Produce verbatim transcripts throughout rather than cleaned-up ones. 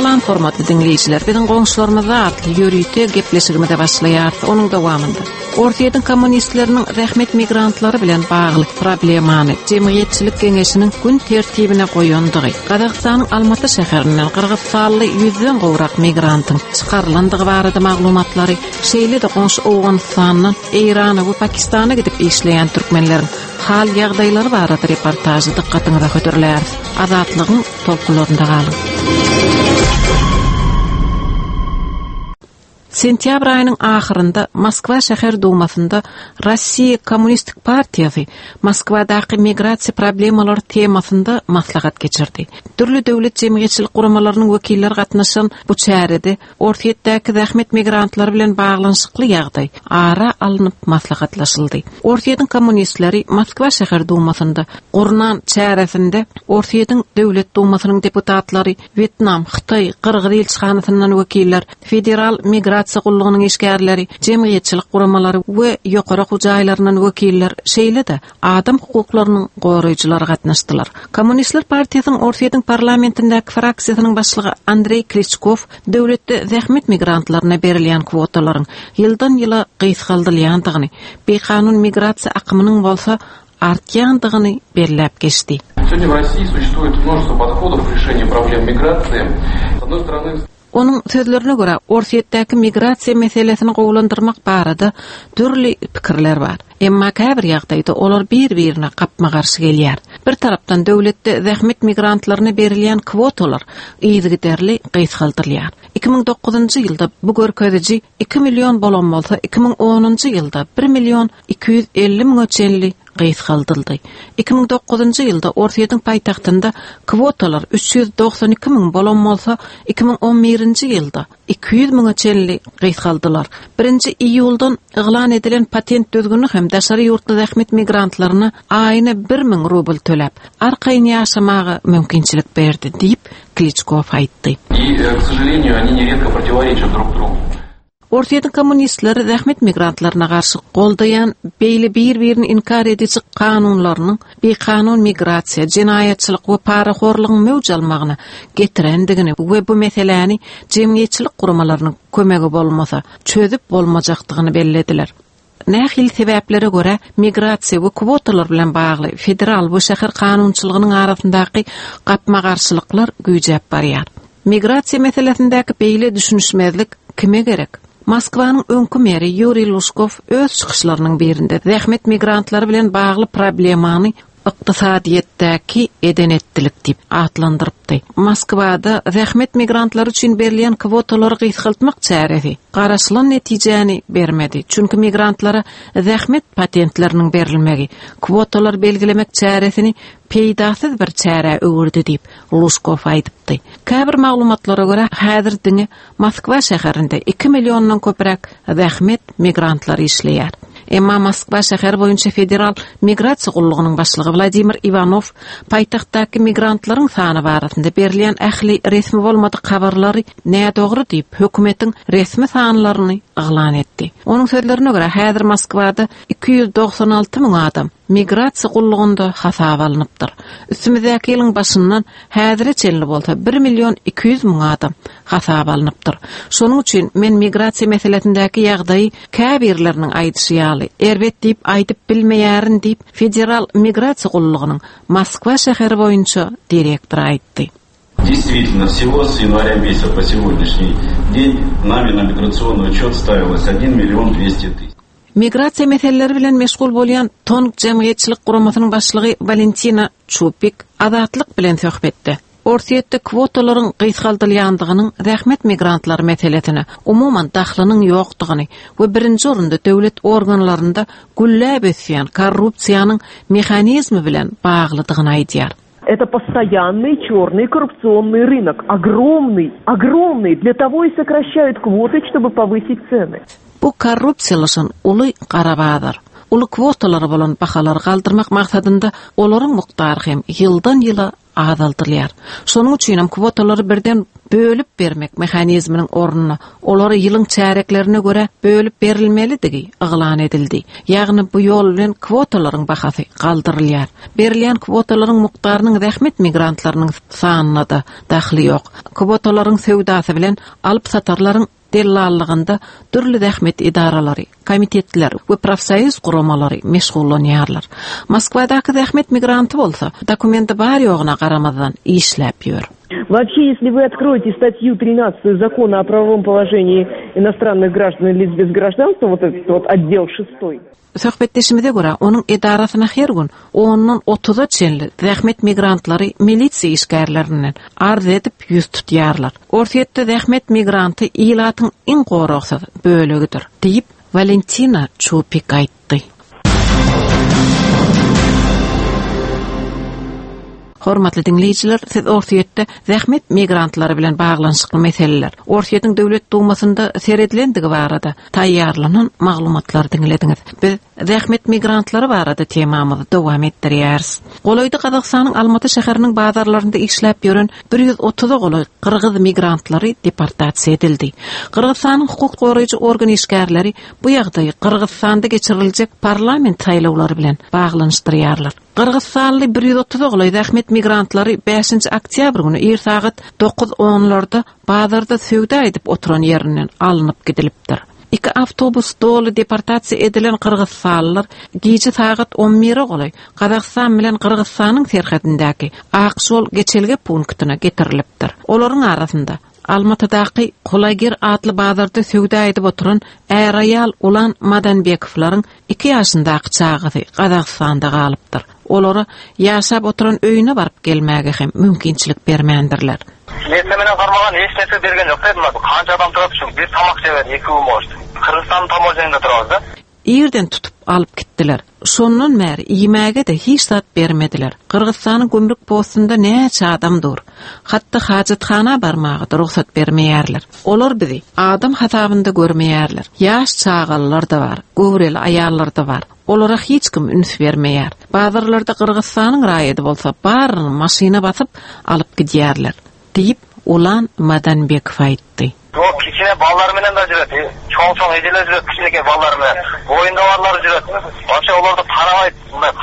Salam hormatly diňleýjiler. Biziň goňşularymyz atly ýörite gepleşigimize başlaýarys. Onuň dowamynda Orsýetiň kommunistleriniň zähmet migrantlary bilen bagly problemany Jemgyýetçilik geňeşiniň gün tertibine goýandygy, Gazagystanyň Almaty şäherinden Gyrgyzystanly ýüzden gowrak migrantyň çykarylandygy barada maglumatlary, şeýle-de goňşy Owganystandan Eýrana we Pakistana gidip işleýän türkmenleriň hal ýagdaýlary barada reportažy dykgatyňyza hödürläris. Azatlygyň tolkunlarynda galyň. Sentýabr aýynyň ahyrynda Moskwa şäher dumasynda Rossiýa Kommunistik partiýasy Moskwadaky migrasiýa problemalary temasynda maslahat geçirdi. Dürli döwlet jemgyýetçilik guramalarynyň wekilleri gatnaşan bu çärede Orsýetdäki zähmet migrantlary bilen baglanyşykly ýagdaý ara alnyp maslahatlaşyldy. Orsýetiň kommunistleri Moskwa şäher dumasynda gurnan çäresinde Orsýetiň döwlet dumasynyň deputatlary, Wýetnam, Hytaý, Gyrgyz ilçihanasyndan wekiller, federal migrasiýa gullugynyň işgärleri, jemgyýetçilik guramalary we ýokary okuw jaýlaryndan wekiller, şeýle-de adam hukuklarynyň goraýjylary gatnaşdylar. Kommunistler partiýasynyň Orsýetiň parlamentindäki fraksiýasynyň başlygy Andreý Kliçkow döwletde zähmet migrantlaryna berilýän kwotalaryň ýyldan ýyla gysgaldylýandygyny, bikanun migrasiýa akymynyň bolsa artýandygyny belläp geçdi. Сегодня в России существует множество подходов к решению проблем миграции. С одной стороны, Onuň sözlerine görä, Orsýetdäki migrasiýa meselesini gowulandyrmak barada dürli pikirler bar. Emma käbir ýagdaýda olar bir-birine gapma-garşy gelýär. Bir tarapdan döwletde zähmet migrantlaryna berilýän kwotalar yzygiderli gysgaldyrylýar. iki müň dokuzynjy ýylda bu görkeziji iki million bolan bolsa, iki müň onunjy ýylda bir million iki ýüz elli müňe çenli gysgaldyldy. iki müň dokuzynjy ýylda Orsýetiň paýtagtynda kwotalar üç ýüz doksan iki müň bolan bolsa, iki müň on birinji ýylda iki ýüz müňe çenli gysgaldylar. Birinji iýuldan yglan edilen patent düzgüni hem daşary ýurtly zähmet migrantlaryna aýyna bir müň rubl töläp, arkaýyn ýaşamaga mümkinçilik berdi diýip Kliçkow aýtdy. И, э, к сожалению, они нередко противоречат друг другу. Orsýetiň kommunistleri zähmet migrantlaryna garşy goldaýan beýle bir-birini inkar ediji kanunlarynyň bikanun migrasiýa, jenaýatçylyk we parahorlugyň möwç almagyna getirendigini we bu meseläni jemgyýetçilik guramalarynyň kömegi bolmasa çözüp bolmajakdygyny bellediler. Nähili sebäplere görä migrasiýa we kwotalar bilen bagly federal we şäher kanunçylygynyň arasyndaky gapma-garşylyklar güýjäp barýar. Migrasiýa meselesindäki beýle düşünişmezlik kime gerek? Moskwanyň öňki meri Ýuriý Lužkow öz çykyşlarynyň birinde zähmet migrantlary bilen bagly problemany ykdysadyýetdäki edenetdilik diýip atlandyrypdy. Moskwada zähmet migrantlary üçin berilýän kwotalary gysgaltmak çäresi garaşylan netijäni bermedi. Çünki migrantlara zähmet patentleriniň berilmegi kwotalar belgilemek çäresini peýdasyz bir çärä öwürdi diýip Lužkow aýdypdy. Käbir maglumatlara görä häzir diňe Moskwa şäherinde iki milliondan köpräk zähmet migrantlary işleýär. Emma Moskwa şäher boýunça federal migrasiýa gullugynyň başlygy Wladimir Iwanow paýtagtdaky migrantlaryň sany barasynda berilýän ähli resmi bolmadyk habarlary nädogry diýip hökümetiň resmi sanlaryny yglan etdi. Onuň sözlerine görä häzir Moskwada iki ýüz doksan alty müň adam migrasiýa gullugynda hasaba alnypdyr. Üstümizdäki ýylyň başyndan häzire çenli bolsa bir million iki ýüz müň adam hasaba alnypdyr. Şonuň üçin men migrasiýa meselesindäki ýagdaýy käbirleriniň aýdyşy ýaly erbet diýip aýdyp bilmeýärin diýip Federal migrasiýa gullugynyň Moskwa şäheri boýunça direktory aýtdy. Действительно, всего с января месяца по сегодняшний день нами на миграционный учет ставилось один миллион двести тысяч. Migrasiýa meseleleri bilen meşgul bolýan Tong jemgyýetçilik guramasynyň başlygy Valentina Çupik Azatlyk bilen söhbetde. Orsýetde kwotalaryň gysgaldylýandygynyň zähmet migrantlary meselesine umuman dahlynyň ýokdugyny we birinji orunda döwlet organlarynda gülläp ösýän korrupsiýanyň mehanizmi bilen baglydygyny aýdýar. Это постоянный черный коррупционный рынок. Огромный, огромный. Для того и сокращают квоты, чтобы повысить цены. Bu korrupsiýalaşan uly gara bazar. Uly kwotalary bolan bahalary galdyrmak maksadynda olaryň mukdary hem ýyldan ýyla azaldylýar. Şonuň üçin hem kwotalary birden Bölüp bermek mehanizminiň ornuna olary ýylyň çäreklerine görä bölüp berilmelidigi yglan edildi. Ýagny bu ýol bilen kwotalaryň bahasy galdyrylýar. Berilýän kwotalaryň mukdarynyň zähmet migrantlarynyň sanyna da dahly ýok. Kwotalaryň söwdasy bilen alyp satarlaryň dellallygynda dürli zähmet edaralary, komitetler we profsoýuz guramalary meşgullanýarlar. Moskwadaky zähmet migranty bolsa dokumenti bar ýogyna garamazdan işläp ýör. Вообще, если вы откроете статью тринадцатую закона о правовом положении иностранных граждан и лиц без гражданства, вот этот вот отдел шестой. Söhbetdeşimize görä, onuň edarasyna her gün ondan otuza çenli zähmet migrantlary milisiýa işgärlerinden arz edip ýüz tutýarlar. Orsýetde zähmet migranty ilatyň iň goragsyz bölegidir, diýip Valentina Çupik aýtdy. Hormatly dinleýjiler, siz Orsýetde zähmet migrantlary bilen baglanyşykly meseleler, Orsýetiň döwlet dumasynda seredilendigi barada taýýarlanan maglumatlary diňlediňiz. Biz zähmet migrantlary barada temamyzy dowam etdirýäris. Golaýda Gazagystanyň Almaty şäheriniň bazarlarynda işläp ýören bir ýüz otuza golaý gyrgyz migrantlary deportasiýa edildi. Gyrgyzystanyň hukuk goraýjy organ işgärleri bu ýagdaýy Gyrgyzystanda geçiriljek parlament saýlawlary bilen baglanyşdyrýarlar. Gyrgyzstanly bir ýüz otuza golaý zähmet migrantlary bäşinji oktýabr güni ir sagat dokuz onlarda bazarda söwda edip oturan ýerinden alnyp gidilipdir. Iki awtobus doly deportasiýa edilen Gyrgyzstanlylar gije sagat on bire golaý Gazagystan bilen Gyrgyzstanyň serhedindäki Akşol geçelge punktuna getirilipdir. Olaryň arasynda Almatydaky Kulagir atly bazarda söwda edip oturan är-aýal Ulan Madanbekovlaryň iki ýaşyndaky çagasy Gazagystanda galypdyr. Olara ýaşap oturan öýüne baryp gelmäge hem mümkinçilik bermändirler. Nese barmagan hiç nese bergen ýok dedim. Kança adam turup şu bir tamak sewer, iki gün boldy. Kyrgyzstan tamojeninde turardy. Irden tutup alyp gitdiler. Şondan bäri iýmäge de hiç zat bermediler. Gyrgyzstanyň gümrük postunda näçe adam dur. Hatda hajathana barmaga da rugsat bermeýärler. Olar bizi adam hasabynda görmeýärler. Ýaş çagalar da bar, göwreli aýallar da bar. Olara hiç kim üns bermeýär. Bazarlarda Gyrgyzstanyň raýady bolsa baryny maşyna basyp alyp gidýärler, diýip Ulan Madanbekov aýtdy. O kiçine ballar menen de jüret, çoň-çoň ejeler jüret, kiçineke ballar menen. Boýunda barlar jüret. Вообще olarda paramay,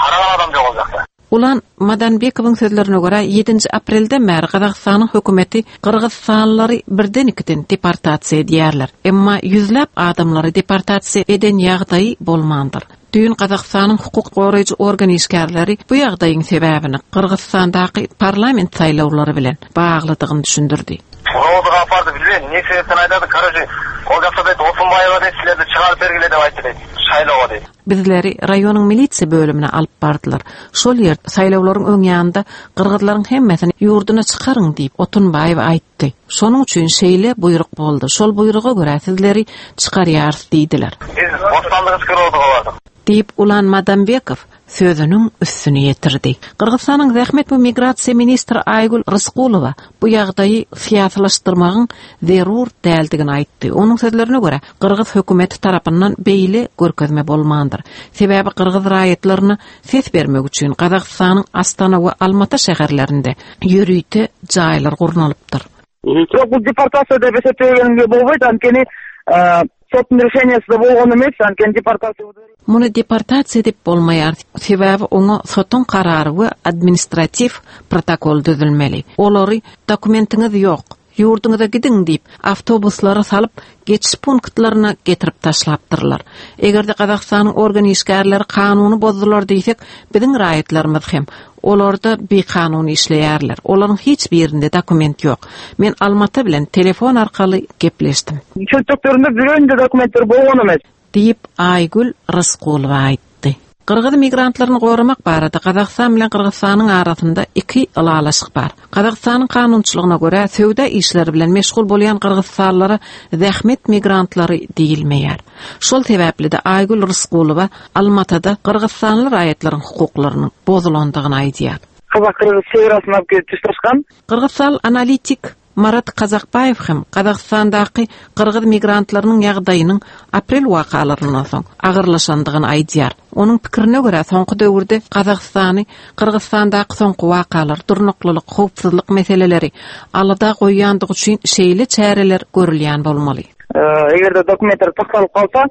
karagan adam ýok oljakda. Ulan Madanbekowyň sözlerine görä ýedinji aprelde bäri Gazagystanyň hökümeti Gyrgyzstanlylary birden ikiden deportasiýa edýärler. Emma ýüzläp adamlary deportasiýa eden ýagdaýy bolmandyr. Düýn Gazagystanyň hukuk goraýjy organ işgärleri bu ýagdaýyň sebäbini Gyrgyzstandaky parlament saýlawlary bilen baglydygyny düşündirdi. Rodu gapardy bilmeýän, ne sebäpden aýdady, karaji, ol ýakda diýdi, Otunbaýewa diýdi, sizlerdi çykaryp bergile diýip aýtdy diýdi, saýlawa diýdi. Bizleri raýonyň milisiýa bölümine alyp bardylar. Şol ýer saýlawlaryň öň ýanynda gyrgyzlaryň hemmesini ýurduna çykaryň diýip Otunbaýewa aýtdy. Şonuň üçin şeýle buýruk boldy. Şol buýruga görä sizleri çykarýarys diýdiler. Biz Bostanlygy çykaryp bardyk. Diýip Ulan Madanbekov sözüniň üstüni ýetirdi. Gyrgyzstanyň zähmet we migrasiýa ministri Aýgül Ryskulowa bu ýagdaýy syýasylaşdyrmagyň zerur däldigini aýtdy. Onuň sözlerine görä, Gyrgyz hökümeti tarapyndan beýle görkezme bolmandyr. Sebäbi Gyrgyz raýatlaryna ses bermek üçin Gazagystanyň Astana we Almaty şäherlerinde ýörite jaýlar gurnalypdyr. Ýok, bu deportasiýa diýip eseplegen bolmaýdy, antkeni sotun решениесі болгон эмес, анткени депортация. Muny deportasiýa diýip bolmaýar. Sebäbi oňa sotun karary we administrativ protokol düzülmeli. Olary dokumentiňiz ýok, ýurduňyza gidiň diýip awtobuslara salyp geçiş punktlaryna getirip taşlapdyrlar. Eger-de Gazagystanyň organ işgärleri kanuny bozdular diýsek, biziň raýatlarymyz hem olarda bikanun işleýärler. Olaryň hiç birinde dokument ýok. Men Almaty bilen telefon arkaly gepleşdim. Çöntüklerinde birinde dokumentler bolgan emes. Diýip Aýgül Ryskulowa aýtdy. Gyrgyz migrantlaryny goramak barada Gazagystan bilen Gyrgyzstanyň arasynda iki ylalaşyk bar. Gazagystanyň kanunçylygyna görä söwda işleri bilen meşgul bolýan Gyrgyzstanlylara zähmet migrantlary diýilmeýär. Şol sebäpli de Aýgül Ryskulowa Almatyda Gyrgyzstanly raýatlaryň hukuklarynyň bozulandygyny aýdýar. Kazak-Kyrgyz çegrasynda alyp gelip tutaşgan. Gyrgyzstan analitik Marat Kazakbaýew hem Gazagystandaky gyrgyz migrantlarynyň ýagdaýynyň aprel wakalaryndan soň agyrlaşandygyny aýdýar. Onuň pikirine görä soňky döwürde Gazagystany Gyrgyzystandaky soňky wakalar, durnuklylyk, howpsuzlyk meseleleri alada goýýandygy üçin şeýle çäreler görülýän bolmaly. Eger-de dokumentler saklanyp galsa,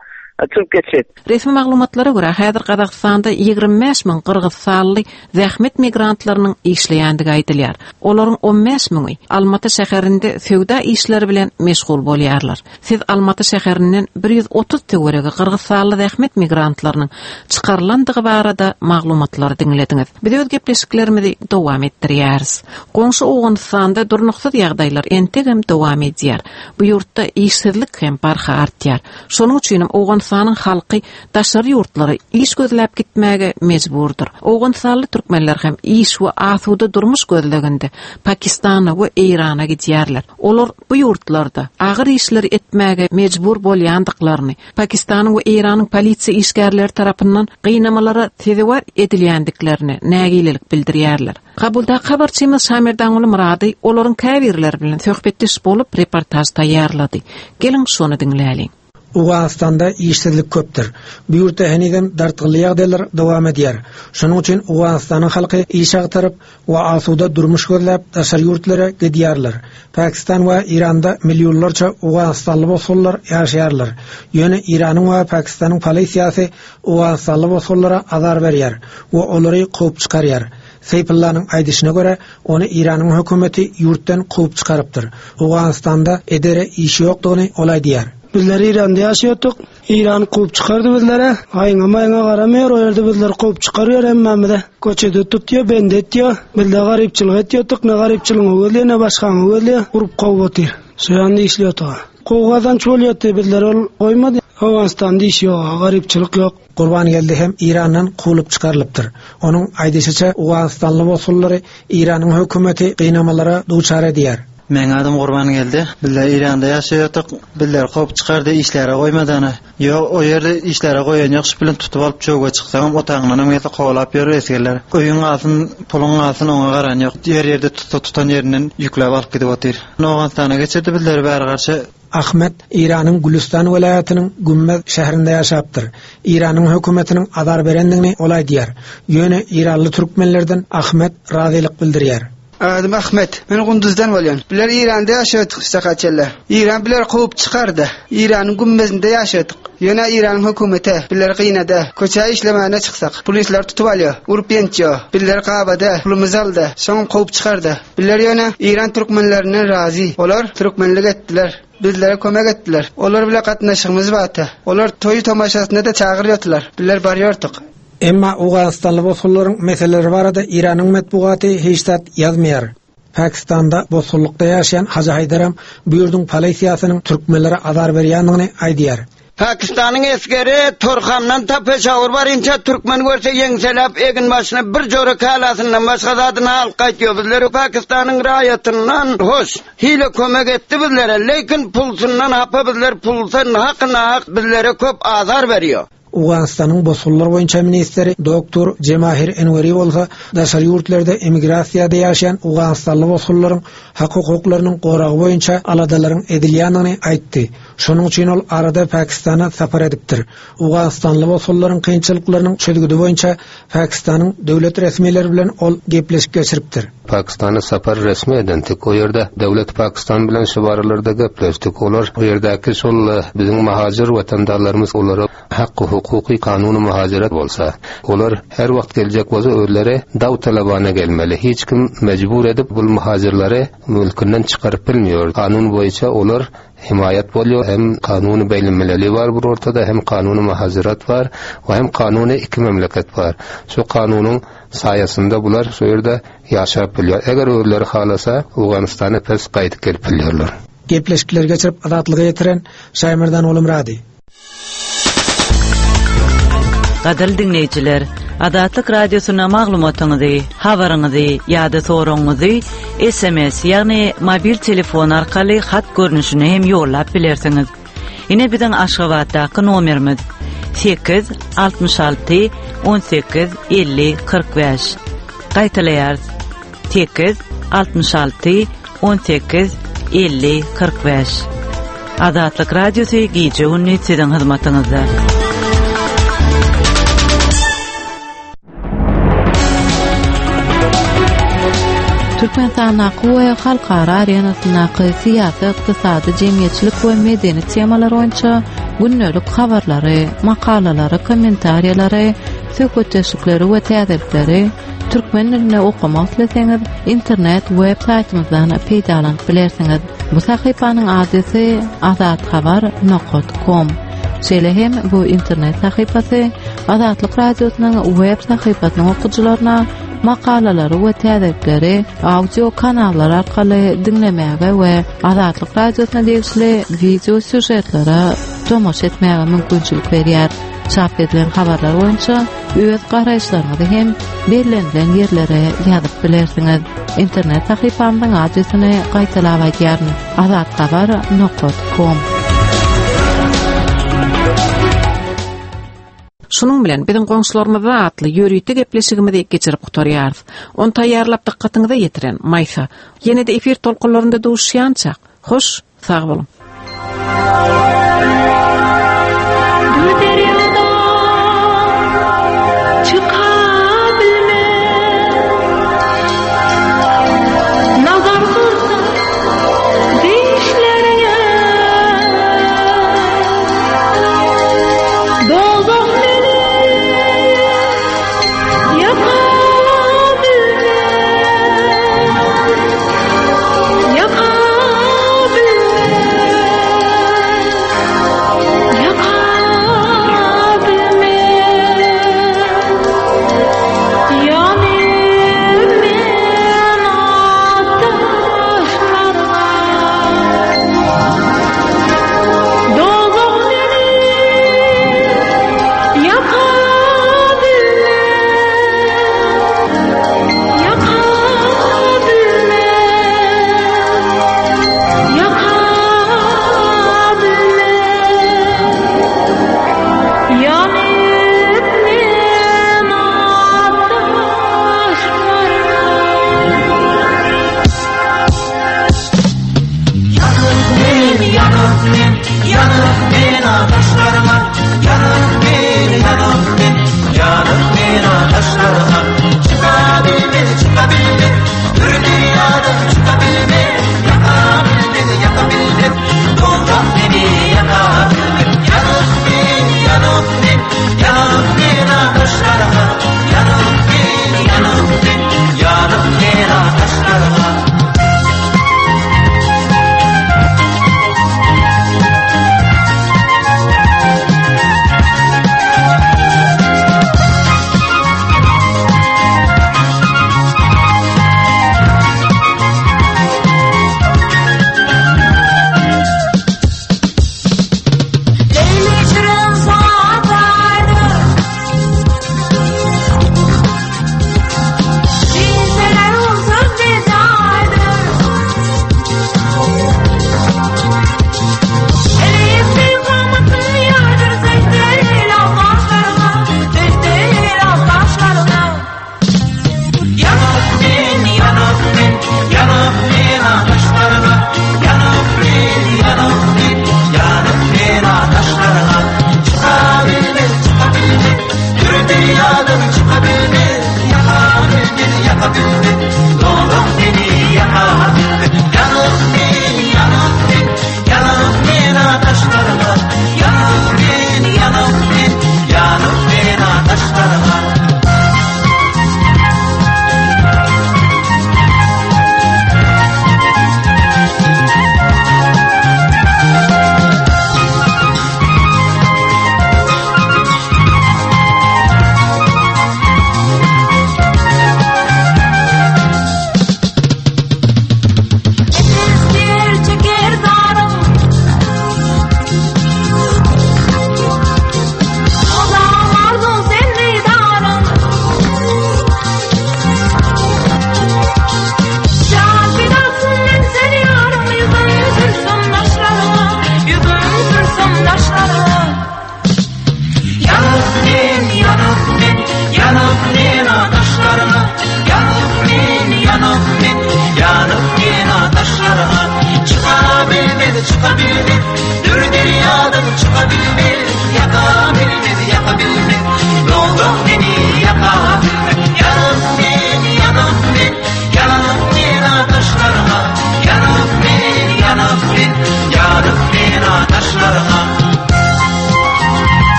çykyp geçýär. Resmi maglumatlara görä häzir Gazagystanda ýigrimi bäş müň gyrgyzstanly zähmet migrantlarynyň işleýändigi aýdylýar. Olaryň on bäş müňi Almaty şäherinde söwda işleri bilen meşgul bolýarlar. Siz Almaty şäherinden bir ýüz otuz töweregi gyrgyzstanly zähmet migrantlarynyň çykarylandygy barada maglumatlary diňlediňiz. Biz öz gepleşiklerimizi dowam etdirýäris. Goňşy Owganystanda durnuksyz ýagdaýlar entegem dowam edýär. Bu ýurtda işsizlik hem barha artýar. Şonuň üçin hem Owganystanyň halky daşary ýurtlara iş gözläp gitmäge mejburdyr. Owganystanly türkmenler hem iş we asuda durmuş gözleginde Pakistana we Eýrana gidýärler. Olar bu ýurtlarda agyr işleri etmäge mejbur bolýandyklaryny, Pakistanyň we Eýranyň polisiýa işgärleri tarapyndan gynamalara sezewar edilýändiklerini nägilelik bildirýärler. Kabulda habarçymyz Şamerdanguly Murady olaryň käbirleri bilen söhbetdeş bolup reportaj taýýarlady. Geliň şony diňläliň. Owganystanda işsizlik köpdür. Bu ýurtda henizem dartgynly ýagdaýlar dowam edýär. Şonuň üçin Owganystanyň halky iş agtaryp we asuda durmuş gözläp daşary ýurtlara gidýärler. Pakistan we Eýranda millionlarça Owganystanly bosgunlar ýaşaýarlar. Ýöne Eýranyň we Pakistanyň polisiýasy Owganystanly bosgunlara azar berýär we olary kowup çykarýar. Seýpullanyň aýdyşyna görä, ony Eýranyň hökümeti ýurtdan kowup çykarypdyr. Owganystanda edere işi ýokdugyny ol aýdýar. Bizler Eýranda ýaşaýardyk. Eýran kowup çykardy bizlere. Aýyňa maýyňa garamaýar, o ýerde bizler kowup çykarýar hemmämize. Köçede tutýar, bende etýär. Bizler garypçylyk etýärdik, ne garypçylygyň gözleýär, ne başgaňy gözleýär, urup kowup otyr. Şu ýanda işleýärdik. Kowgadan çolýardy, bizler ol goýmady. Owganystanda iş ýok, garypçylyk ýok. Gurban geldi hem Eýrandan kowulyp çykarylypdyr. Onuň aýdyşyça Owganystanly bosgunlary Eýranyň hökümeti gynamalara duçar edýär. Meň adım Gurban geldi. Bizler Eýranda ýaşaýardyk. Bizler kowup çykardy, işlere goýmadany. Ýok, o ýerde işlere goýan ýok, şu bilen tutup alyp çöwge çyksaňam, otagyndan hem gelse kowalap ýör esgerler. Öýüň galsyn, puluň galsyn, oňa garan ýok. Ýer ýerde tutsa tutan ýerinden ýükläp alyp gidip otyr. Owganystana geçirdi bizleri bäri garşy. Ahmet Eýranyň Gülüstan welaýatynyň Gümmez şäherinde ýaşapdyr. Eýranyň hökümetiniň azar berendigini ol aýdýar. Ýöne Eýranly türkmenlerden Ahmet razylyk bildirýär. Adım Ahmet, men Gunduzdan bolýan. Biler Eýranda ýaşaýardyk Sakaçella. Eýran biler kowup çykardy. Eýranyň Gümmezinde ýaşaýardyk. Ýöne Eýranyň hökümeti biler gynady. Köçä işlemäne çyksak, polisler tutup alýar, urup ýençýär. Biler gabada, pulumyzy aldy, soň kowup çykardy. Biler ýöne Eýran türkmenlerinden razy. Olar türkmenlik etdiler. Bizlere kömek etdiler. Olar bile gatnaşygymyz bardy. Olar toý tomaşasyna da çagyrýardylar. Bizler barýardyk. Emma Owganystanly bosgunlaryň meseleleri barada Eýranyň metbugaty hiç zat ýazmaýar. Pakistanda bosgunlykda ýaşaýan Hajy Haýdaram bu ýurduň polisiýasynyň türkmenlere azar berýändigini aýdýar. Pakistanyň esgeri Torhamdan ta Peşawur barynça türkmen görse ýeňseläp egin başyna bir jora kalasyndan başga zadyny alyp gaýtýar. Bizleri Pakistanyň raýatyndan hoş hile kömek etdi bizlere, lekin pulsundan hapa bizler pulsan hakyna hak bizlere köp azar berýär. Owganystanyň bosgunlar boýunça ministri doktor Jemahir Enweri bolsa daşary ýurtlarda emigrasiýada ýaşaýan Owganystanly bosgunlaryň hak hukuklarynyň goragy boýunça aladalaryň edilýändigini aýtdy. Şonuň üçin ol arada Pakistana sapar edipdir. Owganystanly bosgunlaryň kynçylyklarynyň çözgüdi boýunça Pakistanyň döwlet resmileri bilen ol gepleşik geçiripdir. Pakistana sapar resmi edentik. O ýerde döwlet Pakistan bilen şu baralarda gepleşdik. Olar o ýerdäki şol biziň muhacir watandaşlarymyz olara hakkı hukuki kanuny muhaciret bolsa, olar her wagt geljek bolsa özleri dav talabana gelmeli. Hiç kim mecbur edip bu muhacirleri mülkünden çıkarıp bilmiyor. Kanun boyunca olar himayet boluyor. Hem kanuny beýlenmeleri var bu ortada, hem kanuny muhaciret var ve hem kanuny iki memleket var. Şu kanunun sayesinde bular şu ýerde ýaşap bilýär. Eger özleri halasa Owganystana pes gaýdyp gelip bilýärler. Gepleşikler geçirip azatlyga ýetiren Şaýmerdan Oglumyrady. Gadyrly diňleýjiler, Azatlyk Radiosyna maglumatyňyzy, habaryňyzy ýa-da soragyňyzy S M S, ýagny mobil telefon arkaly hat görnüşine hem ýollap bilersiňiz. Ine biziň Aşgabatdaky nomerimiz sekiz altmyş alty on sekiz elli kyrk bäş. Gaýtalaýarys. Sekiz altmyş alty on sekiz elli kyrk bäş. Azatlyk Radiosy gije-gündiz siziň hyzmatyňyzda. Türkmenistandaky we halkara arenasyndaky syýasy, ykdysady, jemgyýetçilik we medeni temalar boýunça gündelik habarlary, makalalary, kommentariýalary, söhbetdeşlikleri we täzelikleri türkmen dilinde okamak isleseňiz, internet web saýtymyzdan peýdalanyp bilersiňiz. Bu sahypanyň adresi azathabar nokat kom. Şeýle hem bu internet sahypasy Azatlyk Radiosynyň web sahypasynyň okyjylaryna makalalary we täzelikleri audio kanallar arkaly diňlemäge we Azatlyk Radiosyna degişli wideo sýužetlere tomaşa etmäge mümkinçilik berýär. Çap edilen habarlar boýunça öz garaýyşlaryňyzy hem bellenilen ýerlere ýazyp bilersiňiz. Internet sahypamyzyň adresini gaýtalap aýdýaryn: azathabar nokat kom. Şunuň bilen biziň goňşularymyzda atly ýörite gepleşigimizi geçirip gutarýarys. Ony taýýarlap dykgatyňyza ýetiren Maýsa. Ýene-de efir tolkunlarynda duşýança, hoş, sag boluň.